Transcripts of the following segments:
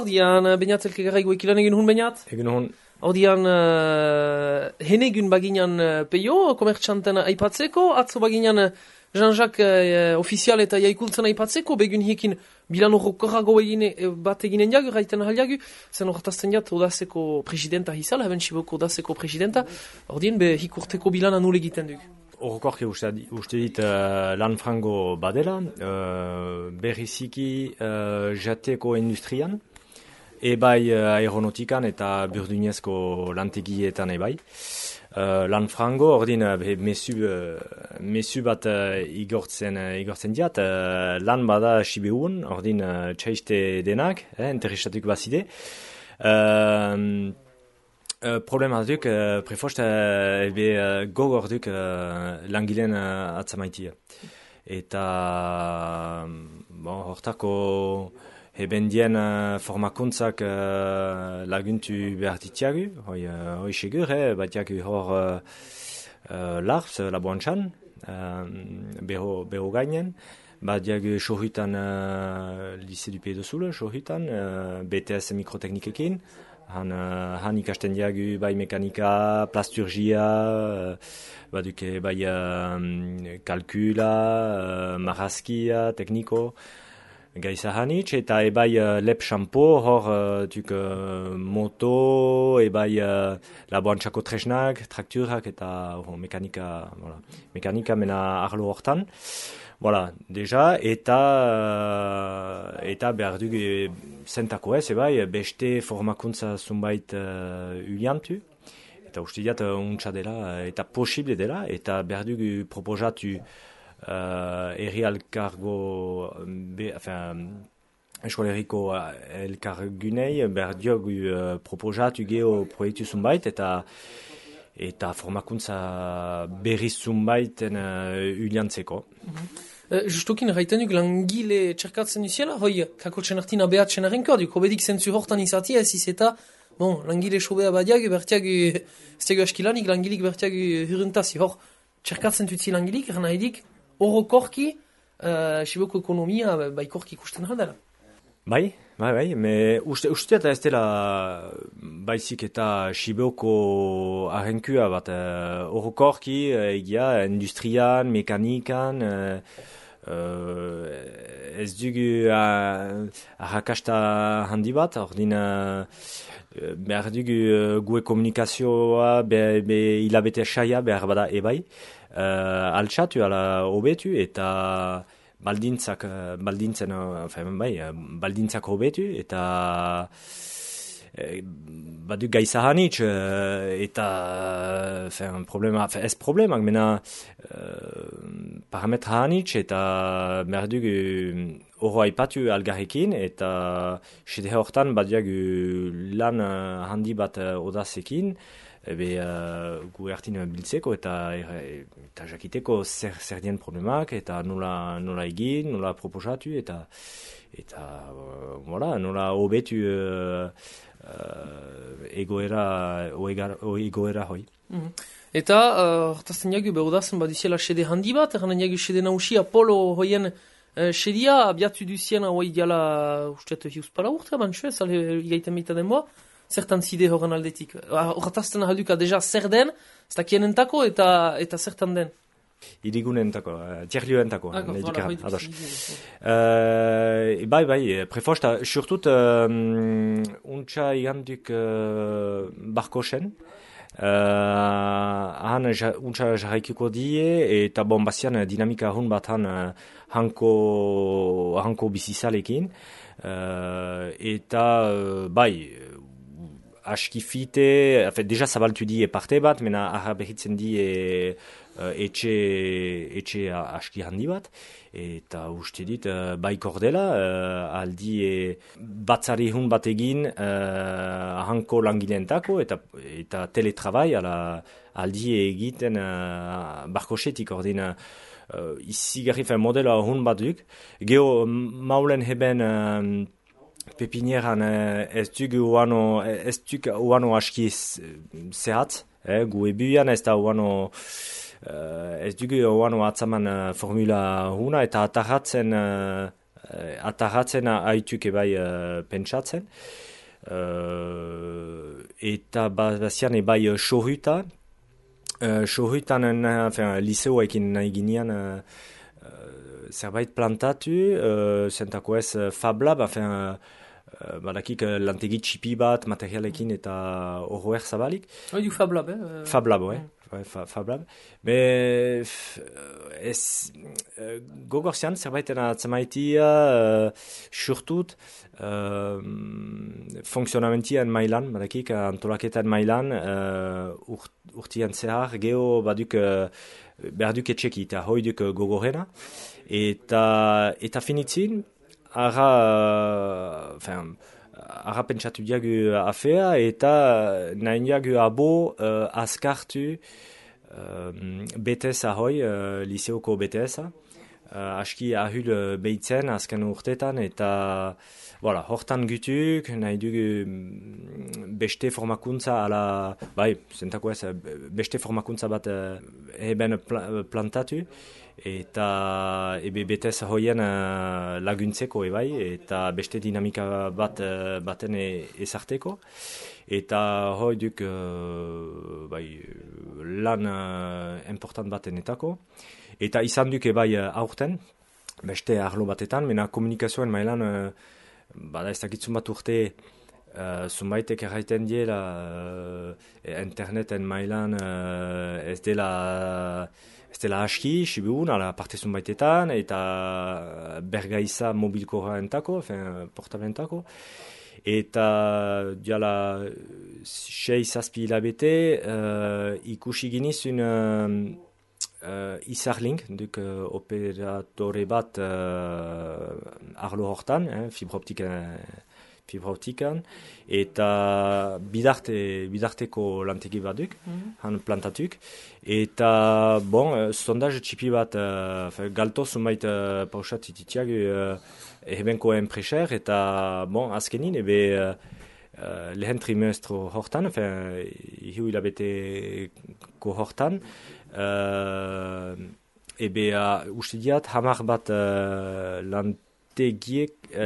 Ordian, bainatzelke garaigu ekilan egin hun bainat? Egin hun. Ordian, henegun baginan peio, komertxanten aipatzeko, atzo baginan Jean-Jacques ofizial eta jaikultzen aipatzeko, begun hiekin bilan horrokorrago bat eginen jagu, raiten ahal zen horretazten jat odazeko presidenta hizala, haben siboko odazeko presidenta, ordien be hikurteko bilan anul egiten duk. Horrokorki uste dit lan frango badela, berriziki jateko industrian, ebai aeronautikan eta burdinezko lantegietan ebai. Lan frango, ordin mesu bat igortzen diat, lan bada sibeun, ordin txaiste denak, interesatuk bazide. Problema duk, prefost gogor duk langileen atzamaitia. Eta hortako ebendien formakuntzak laguntu behar ditiagu, hoi segur, batiagu hor larz, laboantxan, beho gainen, batiagu sohutan Lycée du Pays de Soule, sohutan, BTS mikroteknikekin, han ikasten diagu bai mekanika, plasturgia, baduke bai kalkula, marrazkia, tekniko, Gaiza hanitz, eta ebai lep shampoo, hor moto, ebai laboantxako tresnak, trakturak eta mekanika mena arlo hortan. Voilà, deja, eta behar dugu zentako ez, ebai, beste formakuntza zunbait uliantu. Eta uste diat untsa dela, eta posible dela, eta behar dugu proposatu herri elkargo, eskoleriko elkargunei, behar diogu proposatu geho proiektu zunbait, eta formakuntza berriz zunbaiten uliantzeko. Justokin erraiten duk langile txerkatzen duziela, hoi, kako txenartina behatzen arrenko, duk obedik zentzu hortan izatia, ez izeta, langile sobea badiagu, bertiagu, ez diagu askilanik, langilik bertiagu hurruntazi, hor, txerkatzen dutzi langilik, erna edik, orokorki, siboko ekonomia, baikorki ikusten aldela. Bai, me uste eta ez dela baizik eta siboko arrenkua bat, orokorki, egia, industrian, mekanikan, ez dugu arrakasta handi bat, ordin behar dugu gue komunikazioa, hilabete saia behar bada ebai, altxatu, ala hobetu, eta baldintzak hobetu, eta badu gaiza hanitz, eta ez problemak, mena parametra hanitz, eta behar dugu oro aipatu algarrekin, eta sede hortan badiagu lan handi bat odazekin, gu ertin biltzeko eta jakiteko zer dien problemak, eta nola egin, nola proposatu, eta nola hobetu egoera hoi. Eta, hortazten jagu, behodazen badiziela sede handi bat, erranen jagu sede nausia polo hoien sedia, abiatu duzien hoi diala, usteat hiuspala urte, bantxo, ez igaiten meita denboa, zertan zide horren aldetik. Hortazten ahalduka deja zer den, ez da kienentako eta zertan den. Irigunentako, tierlioentako. Ados. Bai, prefosta, surtut, untsa iganduk barkosen, han untsa jarraikiko die, eta bazian dinamika ahun bat hanko bizizalekin, eta bai, askifite, deja zabaltu die parte bat, mena arra behitzen die etxe aski handi bat, eta uste dit bai kordela, aldi batzari hun bat egin hanko langileentako, eta teletrabai aldi egiten barkosetik ordin izigarri modela hun bat duk. Geho maulen heben pepinieran ez duk uano aski zehatz, gu ebuian ez da uano ez dugu oano atzaman formula huna, eta atarratzen atarratzen haituk ebai pentsatzen. Eta bazian ebai sohuta. Sohutan liseoekin nahi ginean zerbait plantatu, zentako ez Fab Lab, badakik lantegi txipi bat, materialekin eta horroer zabalik. Du Fab Lab, Fab Lab, Fab Lab. Me gogorzean zerbaiten atzamaitia surtut funksionamentian mailan, badakik antolaketan mailan urtian zehar geho baduk berduk etxeki eta hoiduk gogorena eta finitzin ara pentsatu diagu afea eta nahi diagu abo askartu BTS ahoi, liseoko BTS-a. Aski ahul behitzen azken urtetan eta voilà, hortan gutuk, nahi dugu beste formakuntza ala, zentako ez, beste formakuntza bat eben plantatu eta BTS hoien laguntzeko eta beste dinamika baten ezarteko. Eta hoi duk lan important batenetako. Eta izan duk aurten, beste arlo batetan, mena komunikazioen mailan, ez dakitzun bat urte, zunbaitek erraiten diela, interneten mailan ez dela aski, sibiun, ala parte zunbaitetan, eta bergaiza mobilkorra entako, portablentako. Eta diala 6-7 hilabete ikusi ginizun Izarlink, duk operatore bat arlo hortan, fibra-optikan, eta bidarteko lantegi bat duk, han plantatuk. Eta, sondaz txipi bat, galto zumait pausat ititiak ebenko enpreser, eta, azkenin, lehen trimestro hortan, hiu hilabeteko hortan, uste diat, hamar bat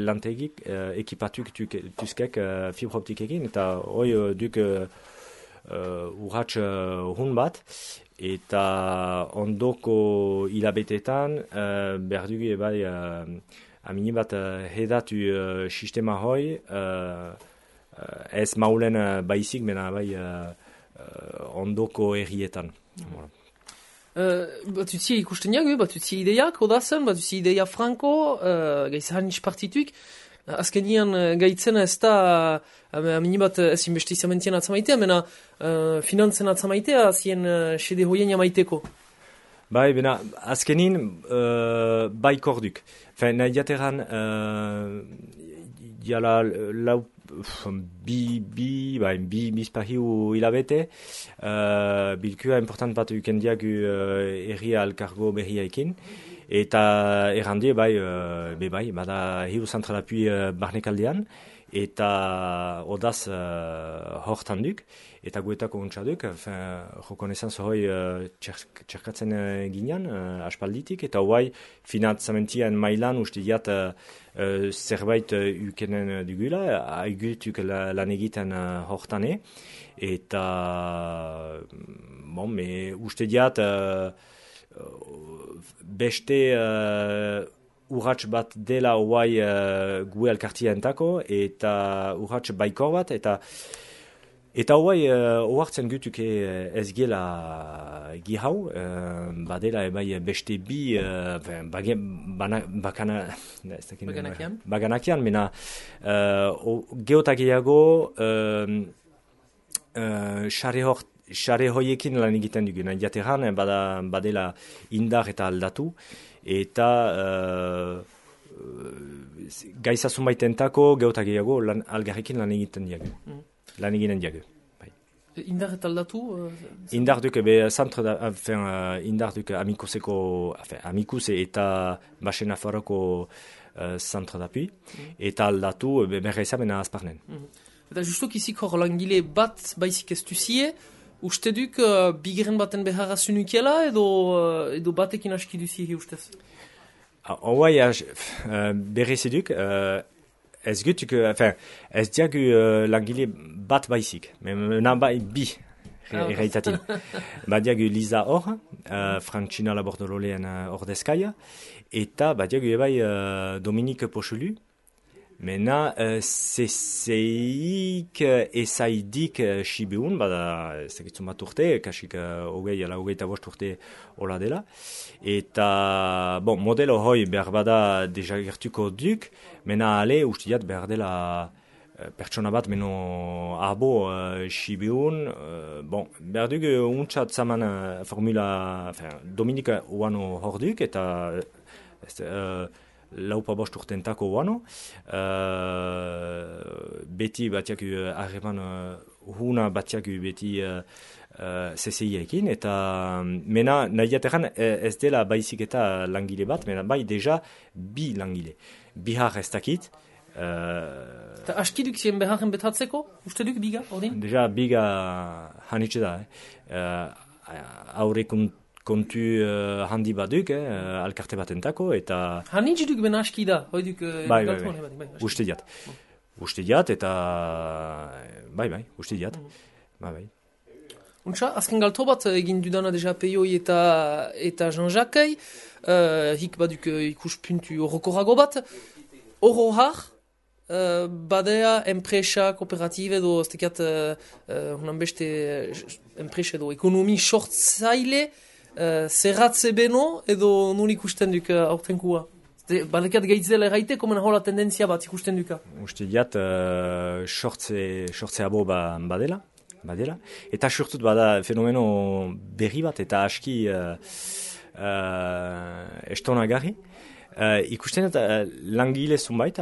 lantegik ekipatuk tuzkek fibra-optikekin, eta hoi duk urratx hun bat, eta ondoko hilabetetan berdugu amini bat hedatu sistema hoi, ez maulen baizik, mena ondoko errietan. Batutzi ikusten jagu, batutzi ideiak, odazen, batutzi ideia franko, gaizahan ispartituik, azkenian gaitzen ez da, aminibat ez investizamentean atzamaitea, mena finantzen atzamaitea, zien sede hoien jamaiteko. Bena, azkenin korduk. Nahi jateran, diala lau bizpahiu hilabete, bilkua important bat ukendiak erria alkargo berriaikin, eta errandi bada hiru zentralapui barnekaldean, eta odaz hortan duk, eta guetako untsaduk, jokonezan zohoi txerkatzen ginean, aspalditik, eta hoai finantzamentian mailan uste diat zerbait ukenen dugula, aigutuk lan egiten hortane, eta uste diat beste urratx bat dela hoai gue elkartia entako, eta urratx baikor bat, eta hoai oartzen gutuke ez gela gihau, badela beste bi baganakian, mena geotagiago xare hoiekin lan egiten dugu, jateran badela indar eta aldatu, eta gaizazun baitentako geotagiago algarrekin lan egiten diagu. Lan eginen diagu. Indar eta aldatu? Indar duk, indar duk amikuse eta basen afarako zantro dapi, eta aldatu berra izamena azparnen. Eta justok izik hor langile bat baizik ez duzie, uste duk bigeren baten beharra zunukiela edo batekin aski duzie ustez? Hauai, berreziduk, ez gutuk, ez diagu langile bat baizik, mena bai bi, erraitatin. Badiagu Liza hor, Frantzina Labordololean ordezkaia, eta badiagu ebai Dominique Pochelu, mena CCIk ezaidik Sibiun, bada ez dakitzun bat urte, kasik hogei ala hogeita bost urte hola dela. Eta, bon, modelo hoi behar bada deja gertuko duk, mena ale ustiat behar dela pertsona bat meno abo Sibiun, bon, behar duk untsat zaman formula, Dominika uano hor duk, eta laupa bost urtentako uano, beti batiak harreman huna batiak beti CCI-ekin, eta mena nahiateran ez dela baizik eta langile bat, mena bai deja bi langile. Bihar ez dakit. Eta askiduk zien beharren betatzeko, uste duk biga, ordin? Deja biga hanitxe da, aurrekun kontu handi baduk, alkarte batentako, eta... Hanitxe duk ben aski da, hoi duk... Bai, uste diat. Uste diat, eta... Bai, uste diat. Bai. Untsa, azken galto bat egin dudana deja Peioi eta Jean-Jacques, hik baduk ikuspuntu horrokorago bat, horro har, badea enpresa, kooperatibe edo, ez tekiat, hunan beste enpresa edo ekonomi sortzaile, zerratze beno edo nun ikusten duk aurtenkua? Badekat gaitzela erraiteko mena hola tendentzia bat ikusten duka? Uste diat, sortze abo badela. Eta surtut bada fenomeno berri bat eta aski estonagarri. Ikusten dut langile zunbait,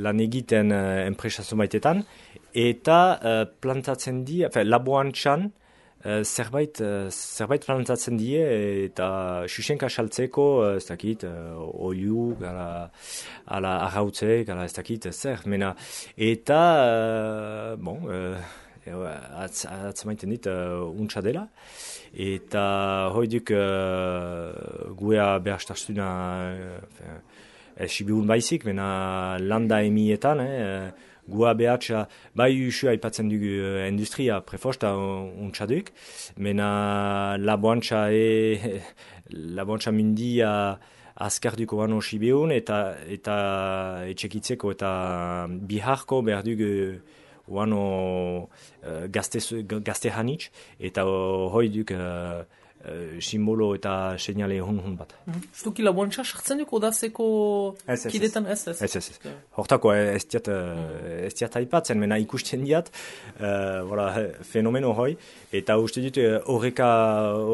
lan egiten enpresa zunbaitetan, eta plantatzen di, laboantxan, zerbait plantatzen die eta xuxenka saltzeko, ez dakit, oiu, ala arrautzeek, ala ez dakit, zer, mena. Eta, atzamaiten dit untsa dela, eta hoiduk guea behastarzuna Sibiun baizik, mena landa emietan, gua behatsa, bai usu aipatzen dugu industria prefosta untsaduk, mena laboantxa mindia azkarduko bano Sibiun, eta etxekitzeko eta biharko behar dugu uano gazte hanitz, eta hoi duk simbolo eta seinale hun bat. Stuki laboantxa sartzen duk odazeko kidetan? Ez. Hortako ez diat aipatzen, mena ikusten diat fenomeno hoi, eta uste dut horreka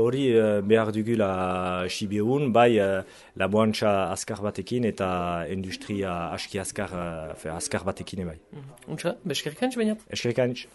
hori behar dugula Sibiun, bai laboantxa azkar batekin eta industria aski azkar batekin bai. Untsa, beskerrik hanitz bainat? Eskerrik hanitz.